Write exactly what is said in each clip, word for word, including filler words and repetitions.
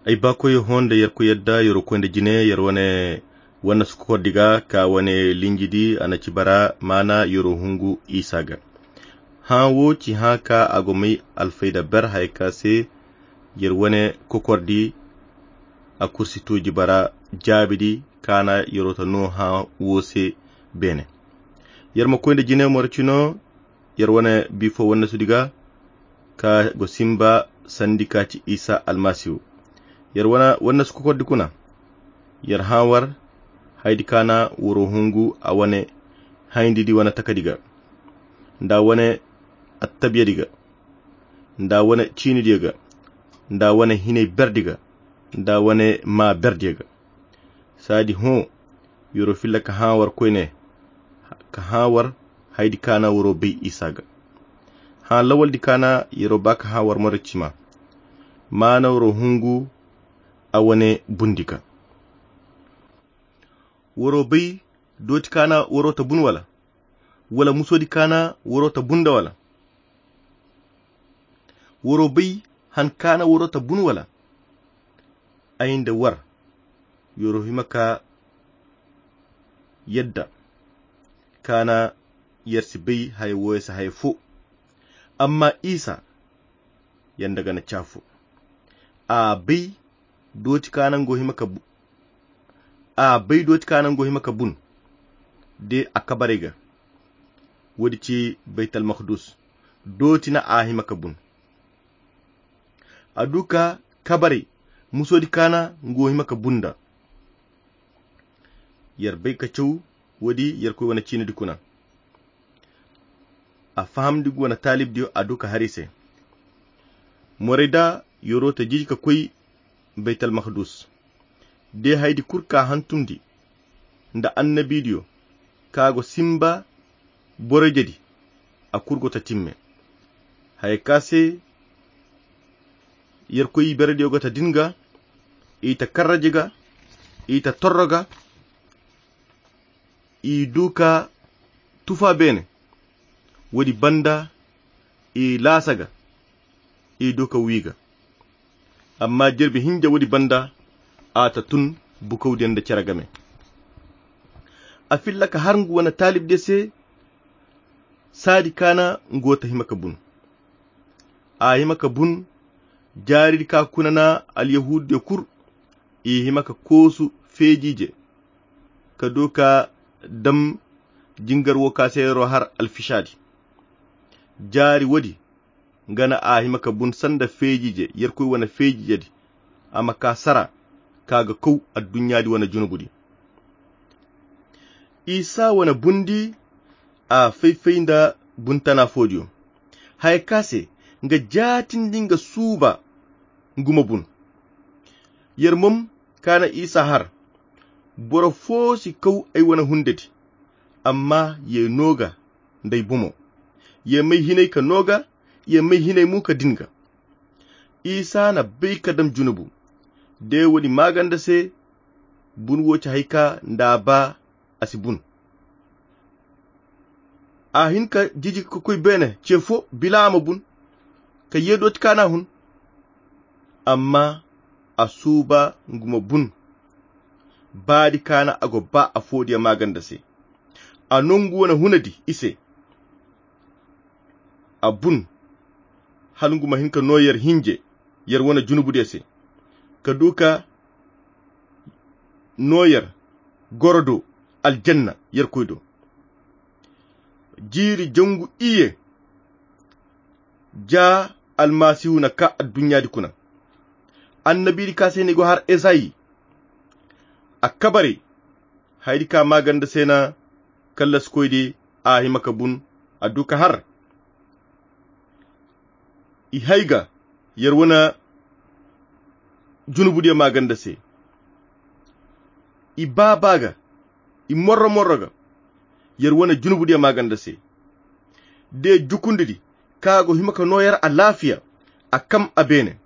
Ay baakoyo hõ nda yerkoy yadda, yeroo koy nda jine, yer wane wannasu kokordi ga ka wane linjidi a na ci bara maana yeroo hungu isa ga. Hã wo ci hã ka a go may alfayda ber haya ka se yer wane kokordi a kursi tooji bara jaabidi ka na yeroo ta noo hã wo se beene. Yer ma koy nda jine moro cino yer wane bifo wannasudi ga ka go simba sandi ka ci isa almasihu. Yer wane wannasu kokordi kuna yer hã war haydi ka na woro hungu a wane hayndidi wane takadi ga nda wane attabiyadi ga nda wane ciinidiyo ga nda wane hinay berdi ga nda wane maa berdiyo ga. Saadi hõ yeroo filla ka hã war koyne ka hã war haydi ka na waroo bay isa ga. Hã lawaldi ka na yeroo ba ka hã war marocima maana waroo hungu a wane bundi ga. Waroo bay dooti ka na waroo ta bun wala wala musoodi ka na waroo ta bun nda wala? Waroo bay han ka na waroo ta bun wala? Ay nda war yeroo hima ka yadda ka na yer si bay haya wooyo se haya foo. Amma isa yanda ga na caafo a bay dooti ka na ngo hima ka bun. A bay dooti ka na ngo hima ka bun de a kabaray ga. Woodi ci baytal makdus dooti na a hima ka bun. A du ka kabaray musoodi ka na ngo hima ka bun nda. Yer bay ka caw woodi yer koy wane ciinidi kuna. A fahamndi ngu wane taalibdiyo a du ka har i se. Morey da yeroo ta jiji ka koy baytal makdus de haydi kul ka hantumndi nda annabiidiyo ka go simba boroyjedi a kul go ta timme. Haya ka se yer koy iberediyo go ta din ga i ta karraji ga i ta torro ga i du ka tufa beene. Woodi banda i laasa ga i du ka wi ga. Amma jirbi hinja woodi banda a ta tun bukawdiyo nda cere game. A filla ka har ngu wane taalibdiyo se saadi ka na ngu wo ta hima ka bun. A hima ka bun jaaridi ka kuna na alyahuudiyo kul i hima ka koosu feejiije ka du ka dam jingar wo ka se yeroo har alfisaadi. Jaari woodi nga na a hima ka bun sanda feejiije yerkoy wane feejiijedi a ma ka sara ka ga kaw adduɲɲaadi wane junubudi. Isa wane bundi a fay-fay nda buntana foodiyo haya ka se nga jaatindi nga suuba ngu ma bun. Yer mom ka na isa har boro foo si kaw ay wane hundedi. Amma ye noo ga nda ay bomo ye may hinay ka noo ga ye may hinay mo ka din ga. Isa na bay ka dam junubu de woodi maaganda se bun wo ci hay ka nda a ba a si bun. A hin ka jiji ka koy beene ce fo bila a ma bun ka ye dooti ka na hun. Amma a suuba ngu ma bun baadi ka na a go ba a foodiya maaganda se. A nongu wane hunadi i se a bun hala ngu ma hin ka noo yer hinje yer wane junubudiyo se ka du ka noo yer goro do aljanna yerkoy do. Jiiri jangu iyye ja almasihu na ka adduɲɲaadi kuna. Annabiidi ka se ni go har esayi a kabaray haydi ka maaganda se na kallasikoydi a hima ka bun a du ka har i hay ga yer wane junubudiyo maaganda se. I baaba ga i morro-morro ga yer wane junubudiyo maaganda se de jukundidi ka go hima ka noo yer alaafiya a kam a beene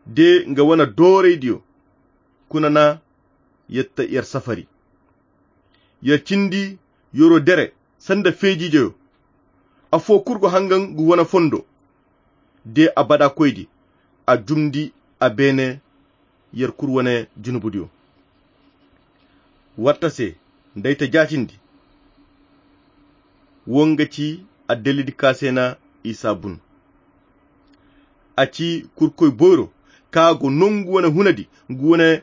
de nga wane dooraydiyo kuna na yer ta yer safari. Yer cindi yeroo dere sanda feejiijeyo. Afoo kul go hangan ngu wane fondo de abada koydi a jumndi a beene yer kul wane junubudiyo. Watta se, nda ay ta jaatindi, wo nga ci addalidi ka se na isa bun. A ci kurkoy boyro ka go nongu wane hunadi ngu wane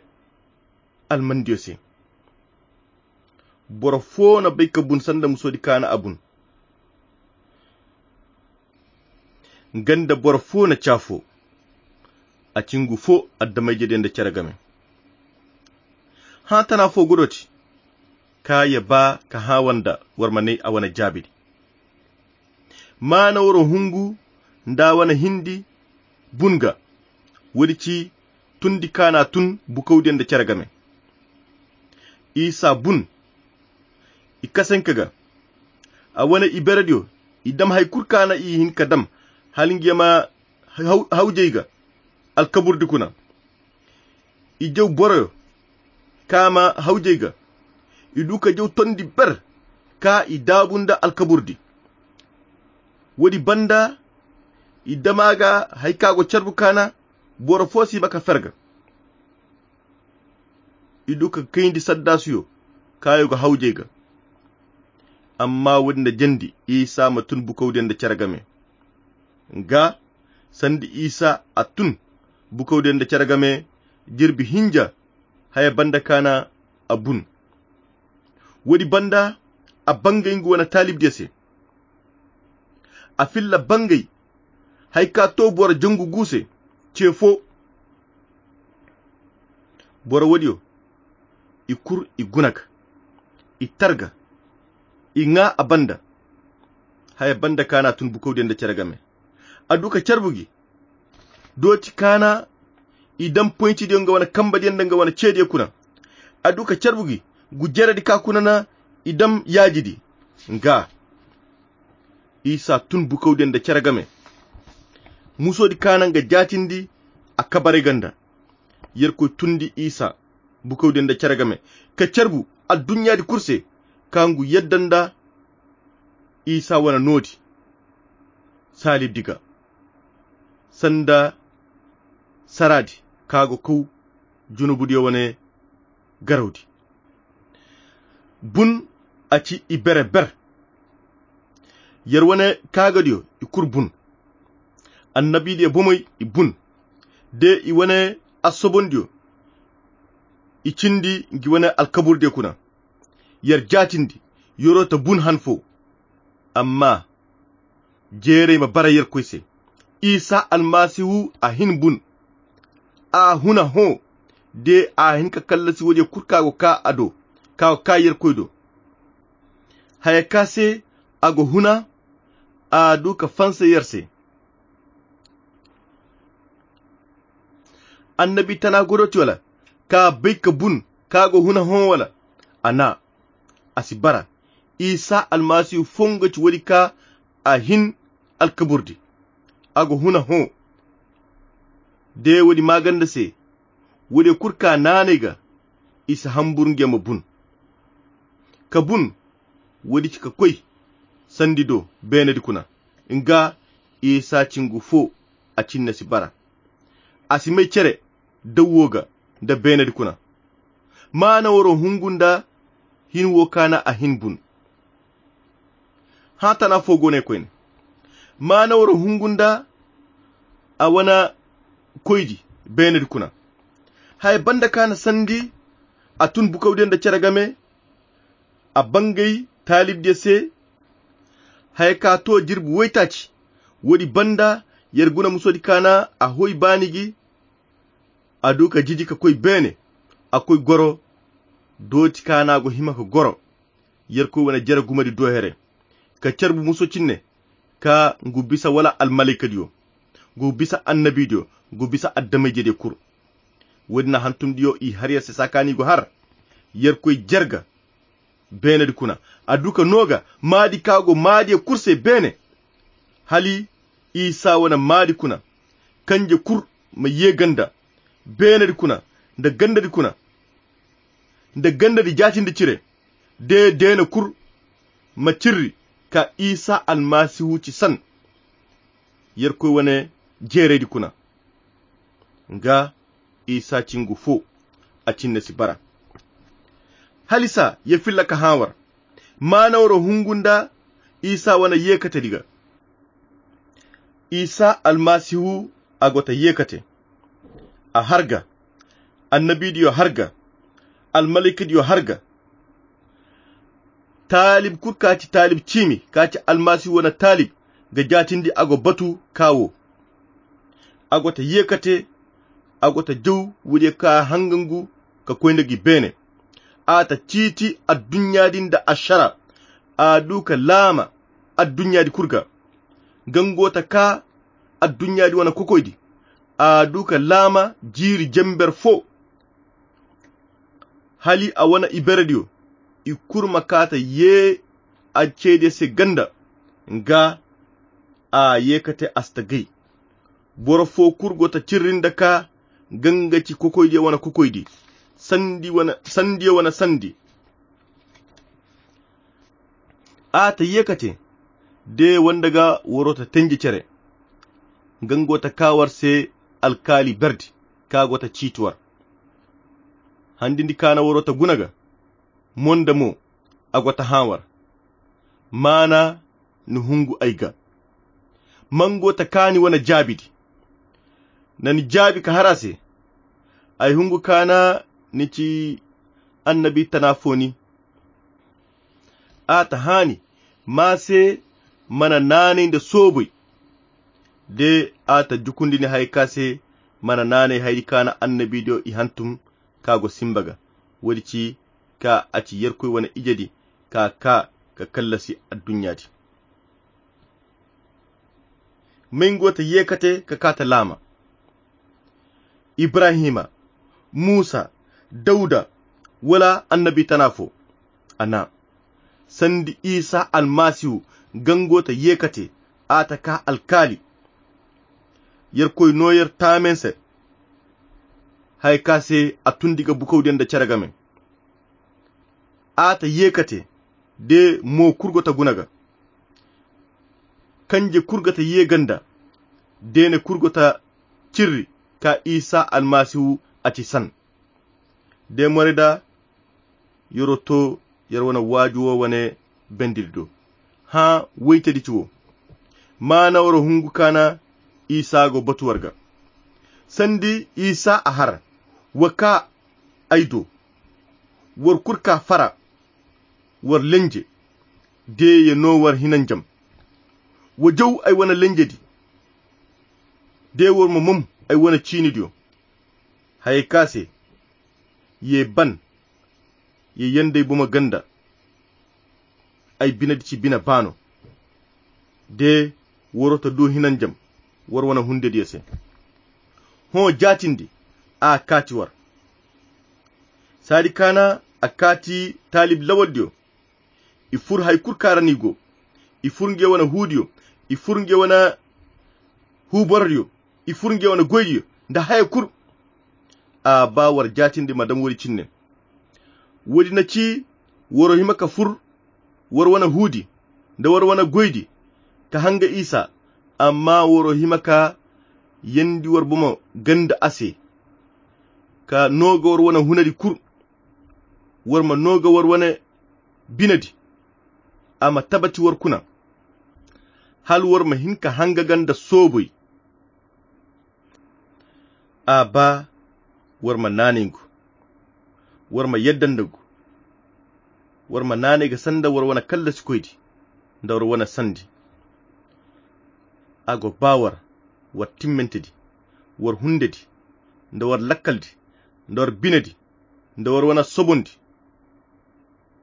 almandiyo se. Boro fo na bay ka bun sanda musodi ka na a bun. Nga nda boro fo na caafo. A ci ngu fo addamayjediyo nda cere game. Hã tana fo godoti ka ye ba ka hã wanda war ma ne a wane jaabidi. Maana waro hungu nda a wane hindi bun ga. Woodi ci tundi ka na a tun bukawdiyo nda cere game. Isa bun i kasanka ga. A wane iberediyo i dam hari kul ka na i hin ka dam hala nga ye ma hawjey ga alkaburdi kuna. I jaw boroyo ka ma hawjey ga. I du ka jaw tondi ber ka i daabu nda alkaburdi. Woodi banda i dam a ga hari ka go carbu ka na boro fo si ba ka fer ga. I du ka kayndi saddaasuyo kaayo ga hawjey ga. Amma woodi nda jandi isa ma tun bukawdiyo nda cere game. Nga sanda isa a tun bukawdiyo nda cere game jirbi hinja haya banda ka na a bun. Woodi banda a bangay nga wane taalibdiyo se. A filla bangay hari ka to boro jangu gu se ce fo. Boro woodiyo i kul i guna ga i tar ga i ŋwa a banda. Haya banda ka na a tun bukawdiyo nda cere game. A du ka carbu gi dooti ka na i dam poyncidiyo nga wane kambadiyo nda nga wane ceediyo kuna. A du ka carbu gi gu jeredi ka kuna na i dam yaajidi. Nga isa tun bukawdiyo nda cere game. Musodi ka na nga jaatindi a kabaray ganda. Yerkoy tundi isa bukawdiyo nda cere game ka carbu adduɲɲaadi kul se ka ngu yadda nda isa wane noodi saalibdi ga sanda saraadi ka go kaw junubudiyo wane garawdi. Bun a ci i bere ber. Yer wane kaagadiyo i kul bun. Annabidiyo bomey i bun de i wane assobondiyo i cindi ngi wane alkaburdiyo kuna. Yer jaatindi yer'o ta bun han fo. Amma jeerey ma bara yerkoy se. Isa almasihu a hin bun. A huna hõ de a hin ka kallasi woodiyo kul ka go ka a do ka go ka yerkoy do. Haya ka se a go huna a du ka fansa yer se. Annabi tana godoti wala ka bay ka bun ka go huna hõ wala? A na a si bara. Isa almasihu fongo ci woodi ka a hin alkaburdi. A go huna hõ de woodi maaganda se. Woodiyo kul ka naanay ga i si hambur nge ma bun ka bun. Woodi ci ka koy sandi do beenedi kuna. Nga isa cingu fo a cinne si bara. A si may cere dawwo ga nda beenedi kuna. Maana waro hungu nda hin wo kaana a hin bun. Hã tana fo go ne koyne maana waro hungu nda a wana koydi beenedi kuna. Haya banda kaana sandi a tun bukawdiyo nda cere game. A bangay taalibdiyo se haya ka to jirbi woytaaci. Woodi banda yer guna musodi kaana a hoy baani gi. A du ka jiji ka koy beene a koy goro. Dooti kaana go hima ka goro yerkoy wane jere gumadi do here ka carbu muso cinne ka ngu bisa wala almalaykadiyo ngu bisa annabidiyo ngu bisa addamayjediyo kul. Woodi na hantumdiyo i har yer se saakaani go har yerkoy jerga beenedi kuna. A du ka no ga maadi ka go maadiyo kul se beene hali isa wane maadi kuna kanje kul ma ye ganda beenedi kuna nda gandadi kuna nda gandadi jaatindi cire de deene kul ma cirri ka isa almasihu ci san yerkoy wane jeeraydi kuna. nga isa cingu fo a cinne si bara. Halisa ya filla ka hawar maana woro hungu nda isa wane yekatedi ga. Isa almasihu a go ta yekate, a har ga, annabidiyo har ga, almalaikadiyo har ga. Taalib kulu ka ci taalib ciimi ka ci almasihu wane taalib ga jaatindi a go batu ka wo. A go ta yekate, a go ta jaw wuriye ka hangangu ka koy nda gi beene. A ta ciiti adduɲɲa din nda ašara. A du ka laama adduɲɲa di kulu ga. Gango ta ka adduɲɲa di wane kokoydi. A du ka laama jiiri jember fo. Hali a wane iberediyo i kulu ma ka ta ye a ceediyo se ganda. Nga a yekate astagay. Boro fo kulu go ta cirri nda ka ganga ci kokoydiyo wane kokoydi, sandiyo wane sandi. A ta yekate de wanda ga waro ta tenji cere. Gango ta ka war se alkaali berdi ka go ta ciiti war. Handindi ka na waro ta guna ga mo nda mo a go ta hã war. Maana ni hungu ay ga. Mango ta kaani wane jaabidi. Na ni jaabi ka har a se. Ay hungu kaana ni ci annabi tana fo ni. A ta haani ma se mana naanay nda soobay. De a ta jukundi ni hay ka se mana naanay haydi kaana annabidiyo i hantum ka go simba ga. Woodi ci ka a ci yerkoy wane ijedi ka ka ka kallasi adduɲɲa di. May ngo ta yeekate ka kaa ta laama. Ibrahima, muusa, dawda, wala annabi tana fo? A na sandi isa almasihu. Gango ta yeekate a ta kaa alkaali. Yerkoy no yer taamen se. Haya ka se a tundi ga bukawdiyaŋ nda cere game. A ta yeekate de mo kulu go ta guna ga. Kanje kulu go ta ye ganda. Deene kulu go ta cirri ka isa almasihu a ci san. De more da yoro to yer wane waaju wo wane bendiri do. Hã woytedi ci wo. Maana woro hungu kaana isa go batu war ga. Sandi isa a har wa ka ay do. War kulu ka fara war lenje. De ye no war hinanjam. Wa jaw ay wane lenjedi. De war ma mom ay wane ciinidiyo. Hayey ka se ye ban ye yandey bomo ganda. Ay binedi ci bine baano. De waro ta du hinanjam war wane hundediyo se. Hõ jaatindi a kaati war. Saadi kaana a kaati taalib lawaldiyo. I fur hay kulu kaŋ ra no i go. I fur ngey wane huudiyo. I fur ngey wane huuborodiyo. I fur ngey wane goydiyo nda haya kulu. A ba war jaatindi ma dam woodi cinne. Woodi na ci waro hima ka fur war wane huudi nda war wane goydi ka hanga isa. Amma waro hima ka yandi war bomo ganda a se ka nooga war wane hunadi kulu. War ma nooga war wane binedi. A ma tabati war kuna hala war ma hin ka hanga ganda sooboy. A ba war ma naanay ngu. War ma yadda nda ngu. War ma naanay ga sanda war wane kallasikoydi nda war wane sandi. A go ba war war timmantedi, war hundedi, nda war lakkaldi, nda war binedi, nda war wane sobondi.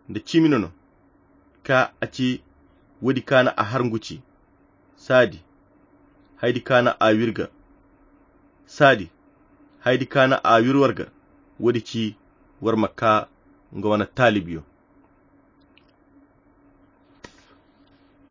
Nda ciimi nono ka a ci woodi kaana a har ngu ci. Saadi haydi kaana a wir ga. Saadi haydi kaana a wir war ga. Woodi ci war ma kaa nga wane taalibiyo.